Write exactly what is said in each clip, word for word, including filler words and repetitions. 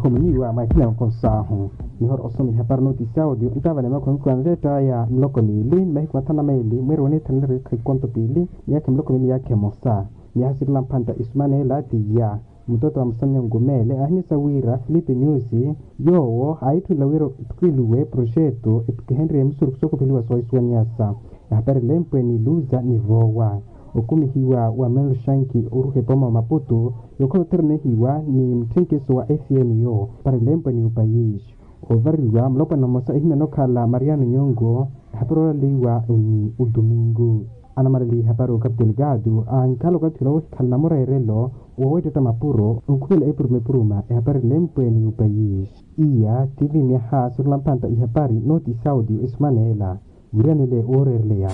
Khominiwa mwakhina nkosahu. Nihora osoma ihapari notisi ya audio ntaavale makhumi kwanrettaya miloko miili ni mahiku mathanu na maili mweeri weniithananiri ekha ikonto piili, miyaakha miloko miili yaakha emosa. Miyaha sirila mphanta isumaneela tiya. Mutooto wa musamya nkumeele aahimyasa wira filipe nyusi, yoowo aahitthunla wira ethukiluwe proxeto ethukihenrye misurukhu sookopheliwa soohisuwanyasa. Ehapari lempwe ni luza ni voowa. Okumihiwa wa menloshanki oruha epoma wa maputu, yookhala otherenehiwa ni mutthenkiso wa fm yo. Ehapari lempwe ni upayisi. Oovariwa mulopwana mmosa ehimyana okhala mariano nyongo. Ehapari oolaliwa ni utumingu. Anamalaliha ehapari okapu delegado ankhala okathi ula woohikhala namureerelo, woweettetta mapuro onkhumela epuruma epuruma. Ehapari lempwe ni upayisi. Iya tiivi myaha sirula mphanta ihapari notisi ya audio esumaneela. Wiiranile wooreereleya.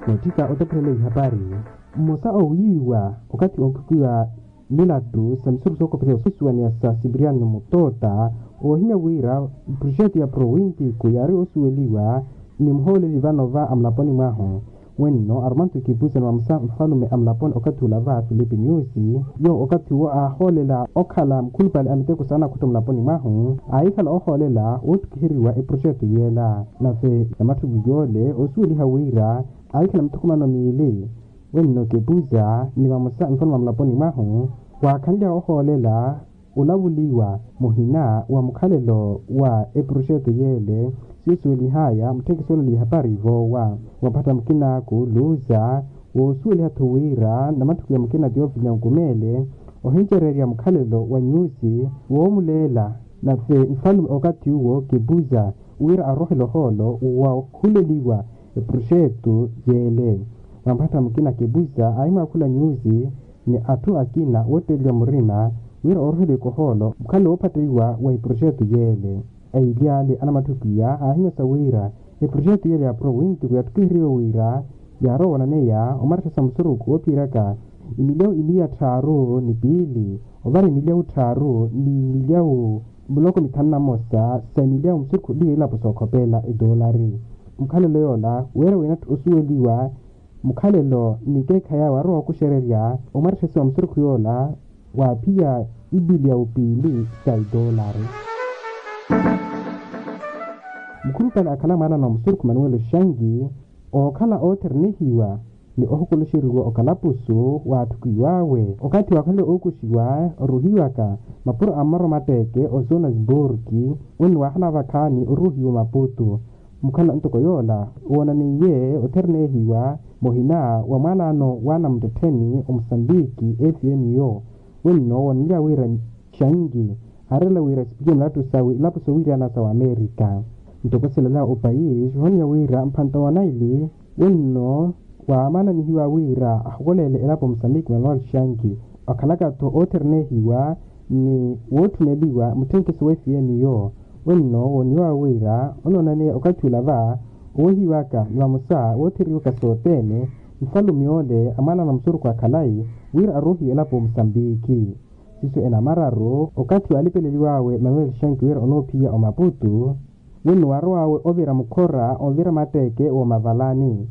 Nootthika otapherela ihapari. Mmosa oowiiwa okathi onkhukiwa milattu sa misurukhu sookopheliwa soosuwaniya sa sipiriano mutoota, oohimya wira proxeto ya provintico yaari osuweliwa ni muhooleli vano va amulaponi mwahu. Wenno arumantu ekipusa ni vamosa nfalume a mulaponi okathi ula va filipe nyusi, yoowo okathi uwo aahoolela okhala mukhulupale a miteko saana akhutta mulaponi mwahu, aahikhala oohoolela woottukiheriwa eproxeto yeela. Nave namatthuku yoole oosuweliha wira aahikhala mithukumano miili. Wenno kepusa ni vamosa nfalume a mulaponi mwahu, waakhanlya oohoolela olavuliwa muhina wa mukhalelo wa eproxeto yeele. Siyo suwelihaya mutthekiso olaliha hapari voowa. Wamphatta mukinaaku luza woosuweliha-tho wira namatthuku ya mukina tiyo vilya nkumeele ohincereerya mukhalelo wa nyusi woomuleela. Nave nfalume okathi uwo kepusa wira arohele ohoolo wa okhuleliwa eproxeto yeele. Wamphatta mukina kepusa aahimwaakhula nyusi ni atthu akina wootteleliwa murima wira ooroheliweke ohoolo mukhalelo woophatteiwa wa eproxeto yeele. Aili ale anamatthuku iya aahimyasa wira eproxeto yeele ya provintico yattukiheriwe wira yaarowa onaneya omaretta sa musurukhu woophiyeryaka emilyawu imiya tthaaru ni piili ovara emilyawu tthaaru ni milyawu miloko mithanu na mmosa sa emilyawu musurukhu eliyo elapo sookhopela etoolari. Mukhalelo yoola weera winatthu osuweliwa mukhalelo ni ekeekhayi awe arowa ookuxererya omaretta sa musurukhu yoola waaphiya ipili ya upiili sa etoolari. Mukhulupale akhala mwaana na musurukhu manuwelo xangi ookhala ootherenehiwa ni ohukuluxeriwa okalapusu waatthukiw'awe okathi waakhanle ookuxiwa oruhiwaka mapuro a mmoro matteeke osuuna sburki. Wenno waahala vakhaani oruhiwa omaputu. Mukhala ntoko yoola woonaneiye otherenehiwa muhina wa mwaalaano w'anamuttettheni omusambiki fm yo. Wenno wooneliwa wira xangi aareela wira esipikiye milattu sawe ilapo sowiirana sa wamerika. Ntoko silalela opayisi ohoniya wira mphanta wa naili wenno waamananihiwa wira ahukoleele elapo musambiki manuel xangi okhalaka-tho ootherenehiwa ni wootthuneliwa mutthenkiso wa fm yo. Wenno wooniwa wira onoonaneya okathi ula va owehiwaka ni vamosa wootheriwaka sothene nfalume ole amwaana na musurukhu a khalayi wira arohiwe elapo musambiki. Siiso enamararu okathi waalipeleliw'awe manuel xanki wira onoophiya omaputu wenno waarow'awe ovira mukhora onvira matteeke woomavalani.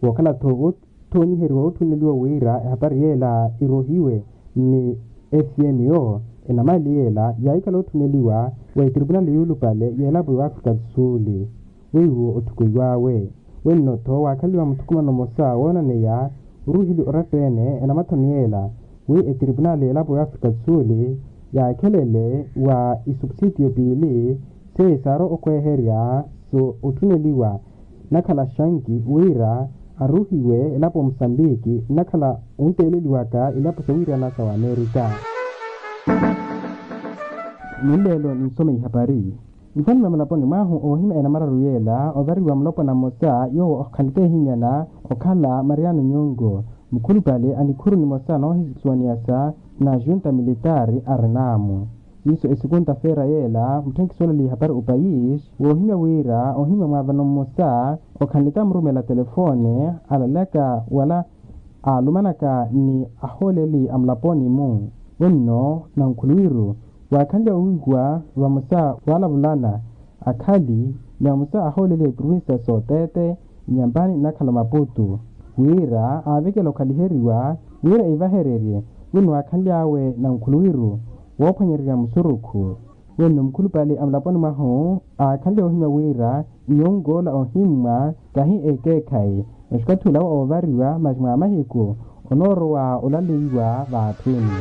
Wookhala-tho woothoonyiheriwa wootthuneliwa wira ehapari yeela irohiwe ni fm yo enamali yeela yaahikhala ootthuneliwa wa etripunali yuulupale y'elapo y'afrika do sul. Weiwo otthukuiw'awe wenno-tho waakhaliwa muthukumano mmosa woonaneya oruhili oratta-ene enamathoni yeela wi etripunali y'elapo y'afrika do sul yaakhelele wa isupusitiyo piili seiye saarowa okweherya so otthuneliwa nakhala xanki wira aruhiwe elapo musambiki nakhala onteeleliwaka ilapo sawiirana sa wamerika. Nlelo ninsome ihapari. Nfanime mulaponi mwahu oohimya enamararu yeela ovariwa mulopwana mmosa yoowo okhanleke ehimyana okhala mariano nyongo mukhulupale a nikhuru nimosa noohisuwaniyasa na junta militari a renamu. Siiso esikunta feera yeela mutthenkiso olaliha hapari opayisi woohimya wira oohimya mwaavano mmosa okhanleke amurumela telefone alalaka wala aalumanaka ni ahooleli a mulaponi-mu. Wenno nankhuluwiru waakhanlya owiiwa vamosa waalavulana akhali ni vamosa ahooleli a iprovincia sootete nyampani nnakhala maputu wira aavekela okhaliheriwa Wira ivahererye, wino waakhanly'awe nankhuluwiru woophwanyererya musurukhu. Wenno mukhulupale a mulaponi mwahu aakhanle ohimya wira nyonkola ohimmwa kahi ekeekhayi, masi okathi olawa oovariwa masi mwa mahiku onoorowa olaleiwa vaathuni.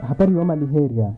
Hapari yoomaliherya.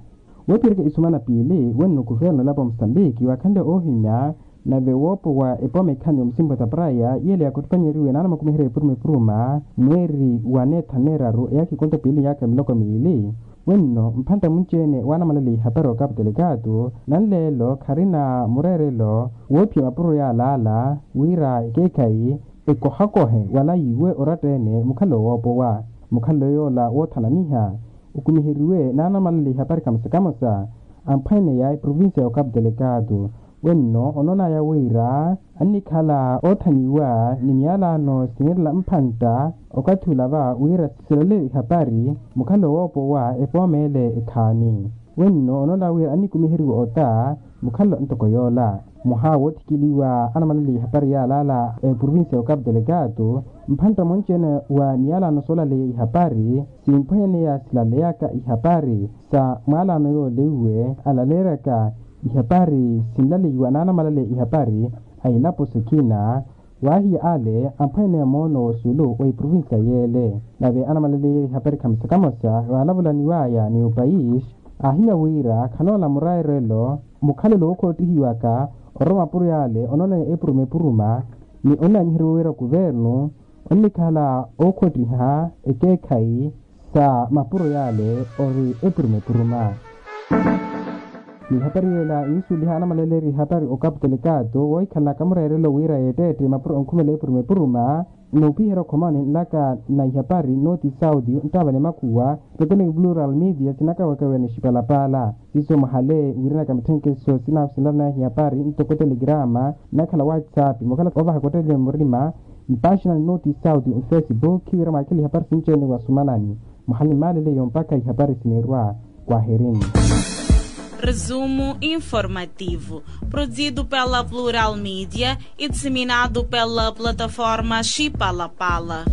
Woophiyerya isumana piili wenno kuverno olapo musambiki waakhanle oohimya nave woopowa epooma ekhani omusimpa tapraya yele yaakotthupanyeriwe naana makumiherya epuruma epuruma mweeri wa neetha neeraru eyaakha ekonto piili yaakha miloko miili. Wenno mphantta munci-ene waanamalaleya ihapari okapu telekaatu nanleelo kharina mureerelo woophiya mapuro yaalaala wira ekeekhayi ekohakohe wala yiiwe oratta-ene mukhalelo woopowa. Mukhalelo yoola woothananiha okumiheriwe naanamalaleya ihapari kamosa kamosa amphwene ya eprovincia y'okapu telekaatu. Wenno onoonaya wira annikhala oothanyiwa ni miyalano sineerela mphantta okathi olava wira silale ihapari mukhalelo woopowa epooma ele ekhaani. Wenno onoonaya wira annikumiheriwa ota mukhalelo ntoko yoola. Mwaha woothikiliwa anamalaleya ihapari yaalaala eprovincia y'okapu telekaatu mphantta monci-ene wa miyalano soolaleya ihapari simphwenyaneya silaleyaka ihapari sa mwaalano yooleiwe alaleeryaka ihapari sinlaleiwa naanamalaleya ihapari a ilapo sikina. Waahiya ale amphwene moono w'osulu wa eprovincia yeele nave anamalaleya ihapari kamosa kamosa waalavulaniwaya ni opaisi aahimya wira khanoola muraerelo mukhalelo wookhottihiwaka orwa mapuro yaale onoonaya epuruma epuruma ni onnaanyiheriwa wira kuvernu onnikhala ookhottiha ekeekhayi sa mapuro yaale ori epuruma epuruma. Ni ihapari yeela yinsuweliha anamalaleerya ihapari okapu telekaatu woohikhalana kamureerelo wira yeetteette mapuro onkhumela epuruma epuruma noopiherya okhomani nlaka na ihapari noti sauti nttaavale makhuwa. Totoni plural media sinakawekawe ni xipalapaala siiso mwahale wirinaka mitthenkeso sinahu sinlalanaya ihapari ntoko telegrama nnakhala whatsapp mukhala ovaha kottelele murima mpaaxina ni noti sauti mfacebook khiwira mwaakele ihapari sinci-ene wasumanani. Muhali maaleleyo mpakha ihapari sineerwa. Kwaherini. Resumo informativo, produzido pela Plural Media e disseminado pela plataforma Chipalapala.